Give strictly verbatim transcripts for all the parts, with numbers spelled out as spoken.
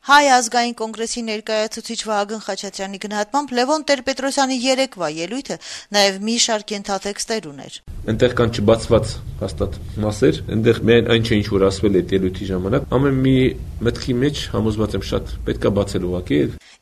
Հայ ազգային կոնգրեսի ներկայացուցիչ Վահագն Խաչատրյանի գնահատմամբ Լևոն Տեր-Պետրոսյանի երեկվա ելույթը նաև մի շարք ենթատեքստեր ուներ. Այնտեղ կան չբացված հաստատ մասեր, այնտեղ միայն այն չէ, ինչ որ ասվել է այդ ելույթի ժամանակ, ամեն մի մտքի մեջ համոզված եմ շատ պետք է բացել ուղղակի։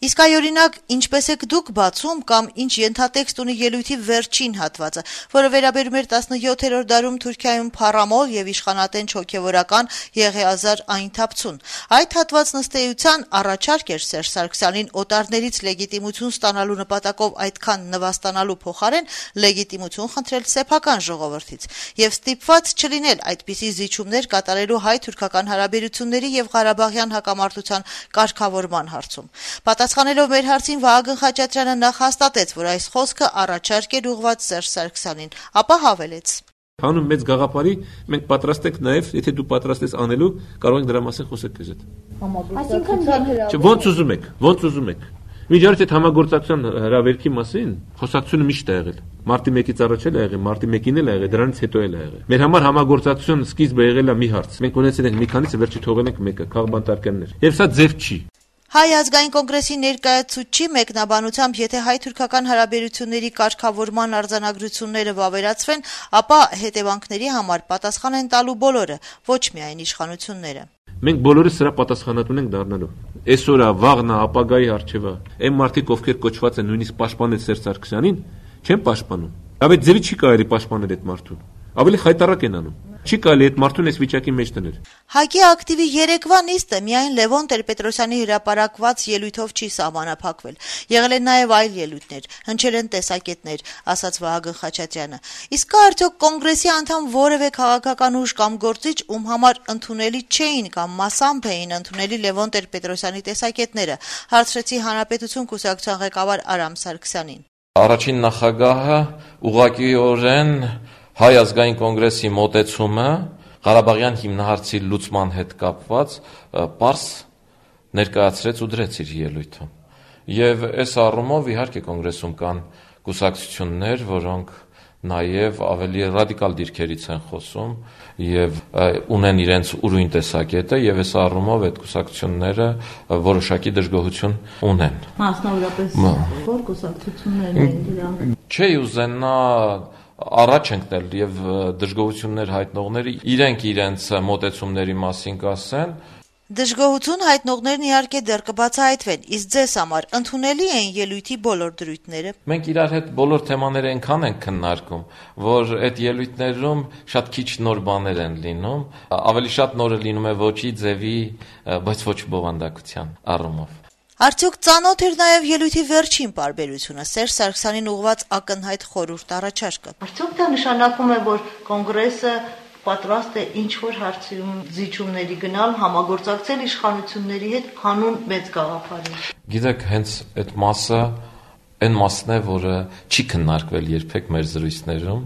Իսկ այ օրինակ, ինչպես եք դուք բացում կամ ինչ ենթատեքստ ունի ելույթի վերջին հատվածը, որը վերաբերում էր տասնյոթերորդ դարում Թուրքիայում փառամոլ եւ իշխանատենչ հոգեվորական Եղիազար Այնթապցուն։ Այդ հատվածն ըստ էության առաջարկ էր Սերժ Սարգսյանին օտարներից լեգիտիմություն ստանալու նպատակով այդքան նվաստանալու փոխարեն լեգիտիմություն խնդրել սեփական ժողովրդից եւ ստիպված չլինել այդպիսի զիջումներ կատարելու հայ-թուրքական հարաբերությունների եւ Ղարաբաղյան հակամարտության կարգավորման հարցում։ Պատասխանելով մեր հարցին Վահագն Խաչատրյանը նախ հաստատեց, որ այս խոսքը առաջարկ էր ուղղված Սերժ Սարգսյանին, ապա հավելեց. Հանուն մեծ գաղափարի մենք պատրաստ ենք նաև, եթե դու պատրաստ ես անելու, կարող ենք դրա մասին խոսել քեզ հետ։ Այսինքն ոնց ուզում եք, ոնց ուզում եք։ Միջարից այդ համագործակցության հրավերքի մասին խոսակցությունը միշտ է եղել։ Մարտի մեկից առաջ էլ է եղել, մարտի մեկին էլ է եղել, դրանից հետո էլ է եղել։ Մեր համար համագործակցության սկիզբը եղել է մի հարց։ Մենք ունեցել ենք մի քանիսը, վերջի թողել ենք մեկը, քաղբանտարկյաններ։ Եվ սա ձև չի։ Հայ ազգային կոնգրեսի ներկայացուցչի մեկնաբանությամբ, եթե հայ-թուրքական հարաբերությունների կարգավորման արձանագրությունները վավերացվեն, ապա հետևանքների համար պատասխան են տալու բոլորը, ոչ միայն իշխանությունները։ Մենք բոլորս սրա պատասխանատուն ենք դառնալու։ Այսօրը, վաղնա, ապագայի առջևը, այն մարդիկ, ովքեր կոչված են նույնիսկ պաշտպանել Սերժ Սարգսյանին, չեն պաշտպանում։ Ավելի ձևի չի կարելի պաշտպանել այդ մարդուն։ Ավելի խայտառակ են անում։ Չի կարելի այդ մարդուն այս վիճակի մեջ դնել։ ՀԱԿ-ի ակտիվի երեկվա նիստը միայն Լևոն Տեր-Պետրոսյանի հրապարակված ելույթով չի սահմանափակվել։ Եղել են նաև այլ ելույթներ, հնչել են տեսակետներ, ասաց Վահագն Խաչատրյանը։ Իսկ կա արդյոք կոնգրեսի անդամ որևէ քաղաքական ուժ կամ գործիչ, ում համար ընդունելի չէին կամ մասամբ էին ընդունելի Լևոն Տեր-Պետրոսյանի տեսակետները, հարցրեցի Հանրապետություն կուսակցության ղեկավար Արամ Սարգսյանին։ Առաջին նախագահը ուղղակիորեն Հայ ազգային կոնգրեսի մոտեցումը Ղարաբաղյան հիմնահարցի լուծման հետ կապված պարզ ներկայացրեց ու դրեց իր ելույթում։ Եվ այս առումով իհարկե կոնգրեսում կան կուսակցություններ, որոնք նաև ավելի ռադիկալ դիրքերից են խոսում եւ ունեն իրենց ուրույն տեսակետը եւ այս առումով այդ կուսակցությունները որոշակի դժգոհություն ունեն։ Մասնավորապես որ կուսակցություններն են դրանք։ Չի ուզենա առաջ ընկնել եւ դժգոհություններ հայտնողները իրենք իրենց մոտեցումների մասին կասեն։ Դժգոհություն հայտնողներն իհարկե դեռ կբացահայտվեն, իսկ ձեզ համար ընդունելի են ելույթի բոլոր դրույթները։ Մենք իրար հետ բոլոր թեմաները այնքան ենք քննարկում, որ այդ ելույթներում շատ քիչ նոր բաներ են լինում, ավելի շատ նորը լինում է ոչի ձևի, բայց ոչ բովանդակության առումով։ Արդյոք ծանոթ էր նաև ելույթի վերջին պարբերությունը, Սերժ Սարգսյանին ուղղված ակնհայտ խորհուրդ առաջարկը։ Արդյոք դա նշանակում է, որ կոնգրեսը պատրաստ է ինչ-որ հարցում զիջումների գնալ, համագործակցել իշխանությունների հետ հանուն մեծ գաղափարի։ Գիտեք, հենց այդ մասը այն մասն է, որը չի քննարկվել երբեք մեր զրույցներում,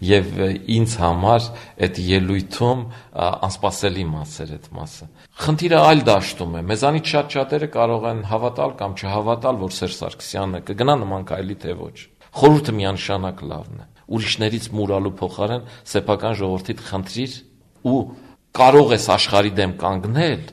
եւ ինձ համար այդ ելույթում անսպասելի մաս էր այդ մասը։ Խնդիրը այլ դաշտում է։ Մեզանից շատ շատերը կարող են հավատալ կամ չհավատալ, որ Սերժ Սարգսյանը կգնա նման քայլի թե ոչ։ Խորհուրդը միանշանակ լավն է։ Ուրիշներից մուրալու փոխարեն սեփական ժողովրդիդ խնդրիր ու կարող ես աշխարհի դեմ կանգնել,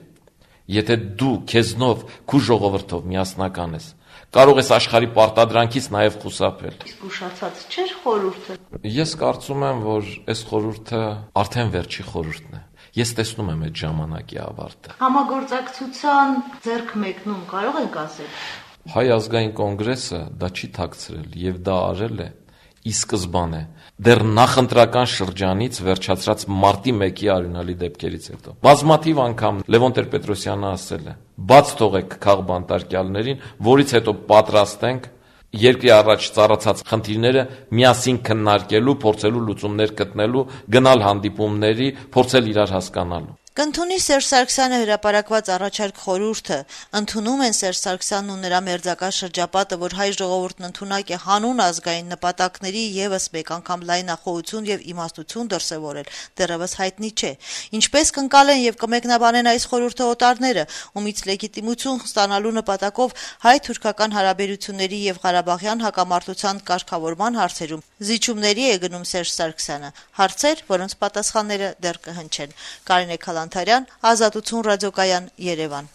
եթե դու քեզնով քու ժողովրդով միասնական ես։ Կարող ես աշխարհի պարտադրանքից նաև խուսափել։ Իսկ ուշացած չէր խորհուրդը։ Ես կարծում եմ, որ այս խորհուրդը արդեն վերջի խորհուրդն է։ Ես տեսնում եմ այդ ժամանակի ավարտը։ Համագործակցության ձեռք մեկնում կարող ենք ասել։ Հայ ազգային կոնգրեսը դա չի թաքցրել եւ դա արել է ի սկզբանե դեռ նախընտրական շրջանից վերջացրած մարտի մեկի արյունալի դեպքերից հետո։ Բազմաթիվ անգամ Լևոն Տեր-Պետրոսյանը ասել է. «Բաց թողեք քաղբանտարկյալներին, որից հետո պատրաստ ենք երկրի առաջ ծառացած խնդիրները միասին քննարկելու, փորձելու լուծումներ գտնելու, գնալ հանդիպումների, փորձել իրար հասկանալու»։ Կընդունի Սերժ Սարգսյանը հրապարակված առաջարկ խորհուրդը, ընդունում են Սերժ Սարգսյանն ու նրա մերձակա շրջապատը, որ հայ ժողովուրդն ընդունակ է հանուն ազգային նպատակների եւս մեկ անգամ լայնախոհություն եւ իմաստություն դրսեւորել, դեռևս հայտնի չէ։ Ինչպես կընկալեն եւ կմեկնաբանեն այս խորհուրդը օտարները, ումից լեգիտիմություն ստանալու նպատակով հայ-թուրքական հարաբերությունների եւ Ղարաբաղյան հակամարտության կարգավորման հարցերում զիջումների է գնում Սերժ Սարգսյանը, հարցեր, որոնց պատասխանները դեռ կհնչեն։ Կարինե Քալանթարյան, Ազատություն ռադիոկայան, Երևան։